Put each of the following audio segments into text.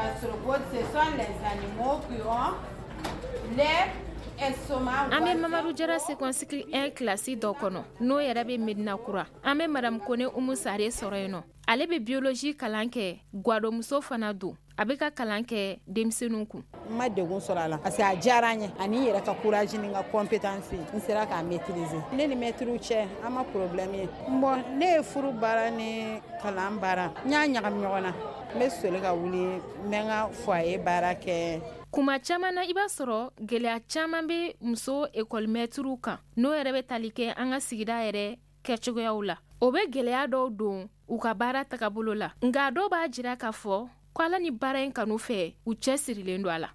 Gastropodes, ce sont les animaux qui ont leur estomac. An bɛ Mamadu Jara second cycle 1 kilasi dɔ kɔnɔ, n'o yɛrɛ bɛ Medina Kura. An bɛ Madame Kone Umu Sare sɔrɔ yen nɔ. Ale bɛ biologie kalan kɛ, gwadonmuso fana don. A bɛ ka kalan kɛ denmisɛnninw kun. N ma degun sɔrɔ a la parce que a diyara n ye, ani n yɛrɛ ka courage ni n ka compétence, n sera k'a maîtriser. Ne ni maître cɛ, an ma problème ye. Bon, ne ye furu baara ni kalan baara, n y'a ɲagami ɲɔgɔn na. N bɛ soli ka wuli, n bɛ n ka foyer baara kɛ. Kuma caman na, i b'a sɔrɔ gɛlɛya caman bɛ muso ekɔlimɛtiriw kan, n'o yɛrɛ bɛ tali kɛ an ka sigida yɛrɛ kɛcogoyaw la. O bɛ gɛlɛya dɔw don u ka baara tagabolo la, nka dɔw b'a jira k'a fɔ ko ala ni baara in kanu fɛ, u cɛ sirilen don a la.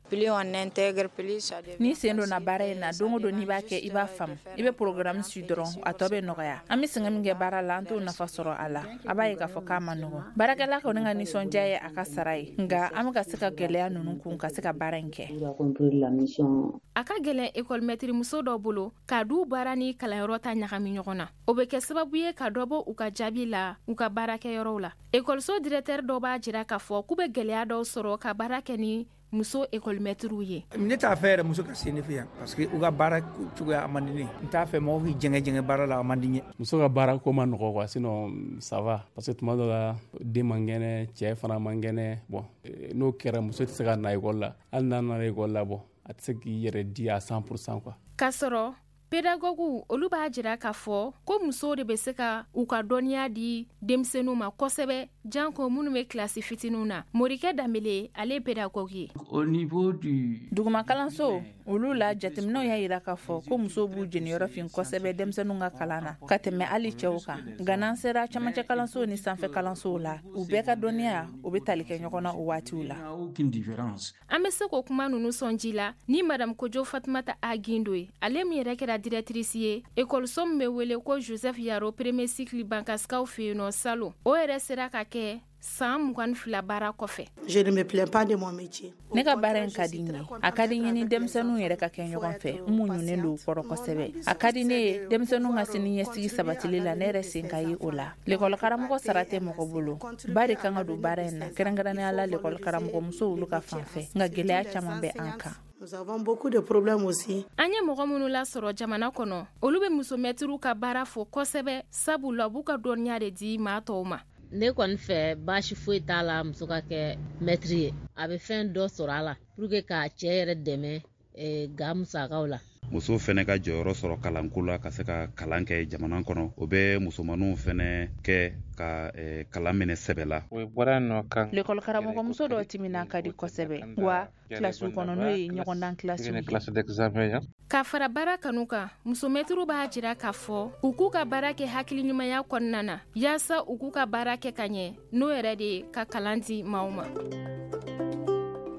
Ni sen donna baara in na, don o don n'i b'a kɛ, i b'a faamu. I bɛ programme su dɔrɔn, a tɔ bɛ nɔgɔya. An bɛ sɛgɛn min kɛ baara la, an t'o nafa sɔrɔ a la. A b'a ye k'a fɔ k'a ma nɔgɔn. Baarakɛla kɔni ka nisɔndiya ye a ka sara ye, nka an bɛ ka se ka gɛlɛya ninnu kun ka se ka baara in kɛ. A ka gɛlɛn ekɔlimɛtirimuso dɔ bolo ka du baara ni kalanyɔrɔ ta ɲagami ɲɔgɔn na. O bɛ kɛ sababu ye ka dɔ bɔ u ka jaabi la u ka baarakɛyɔrɔw la. Ekɔliso directeur dɔ b'a jira k'a fɔ k'u bɛ gɛlɛya dɔw sɔrɔ ka baara kɛ ni muso ekɔlimɛtiriw ye. Ne t'a fɛ yɛrɛ muso ka se ne fɛ yan, parce que u ka baara cogoya a man di ne ye. N t'a fɛ mɔgɔw k'i jɛngɛ jɛngɛ baara la, a man di n ye. Muso ka baara ko ma nɔgɔ quoi, sinon ça va, parce que tuma dɔ la den man kɛnɛ, cɛ fana man kɛnɛ. Bon, n'o kɛra, muso tɛ se ka na ekɔli la. Hali n'a nana ekɔli la, bon, a tɛ se k'i yɛrɛ di à 100% quoi. K'a sɔrɔ pedagoguw olu b'a jira k'a fɔ ko musow de bɛ se ka u ka dɔnniya di denmisɛnninw ma kosɛbɛ, janko minnu bɛ kilasi fitininw na. Morikɛ Danbele, ale ye pedagogue ye. Duguma kalanso olu la, jateminɛw y'a jira k'a fɔ ko musow b'u jeniyɔrɔ fin kosɛbɛ denmisɛnninw ka kalan na ka tɛmɛ hali cɛw kan. Nka n'an sera camancɛ kalansow ni sanfɛ kalansow la, u bɛɛ ka dɔnniya o bɛ tali kɛ ɲɔgɔn na o waatiw la. An bɛ se k'o kuma ninnu sɔn ji la ni Madame Kojo Fatumata A Gindo ye, ale min yɛrɛ kɛra directrice ye ekɔliso min bɛ wele ko Joseph Yaro premier cycle Bankasikaw fɛ yen nɔ salon. O yɛrɛ sera ka kɛ san 22 baara kɔfɛ. Je ne me plains pas de mon métier. Ne ka baara in ka di n ye. A ka di n ye ni denmisɛnninw yɛrɛ ka kɛ ɲɔgɔn fɛ. N muɲunen don u kɔrɔ kosɛbɛ. A ka di ne ye denmisɛnninw ka sini ɲɛsigi sabatili la, ne yɛrɛ sen ka ye o la. Lekɔli karamɔgɔ sara tɛ mɔgɔ bolo. Ba de kan ka don baara in na, kɛrɛnkɛrɛnnenya la lekɔli karamɔgɔ musow olu ka fan fɛ. Nka gɛlɛya caman bɛ an kan. Nous avons beaucoup de problèmes aussi. An ye mɔgɔ minnu lasɔrɔ jamana kɔnɔ, olu bɛ musomɛtiriw ka baara fo kosɛbɛ, sabula u b'u ka dɔnniya de di maa tɔw ma. Ne kɔni fɛ, baasi foyi t'a la muso ka kɛ mɛtiri ye. A bɛ fɛn dɔ sɔrɔ a la pour que k'a cɛ yɛrɛ dɛmɛ ga musakaw la. Muso fɛnɛ ka jɔyɔrɔ sɔrɔ kalanko la, ka se ka kalan kɛ jamana kɔnɔ, o bɛ musomaninw fɛnɛ kɛ ka kalan minɛ sɛbɛ la. Lekɔli karamɔgɔmuso dɔw timina ka di kosɛbɛ wa kilasiw kɔnɔ, n'o ye ɲɔgɔndan kilasiw ye. Ka fara baara kanu kan, musomɛtiriw b'a jira k'a fɔ u k'u ka baara kɛ hakili ɲumanya kɔnɔna na, yaasa u k'u ka baara kɛ ka ɲɛ, n'o yɛrɛ de ye ka kalan di maaw ma.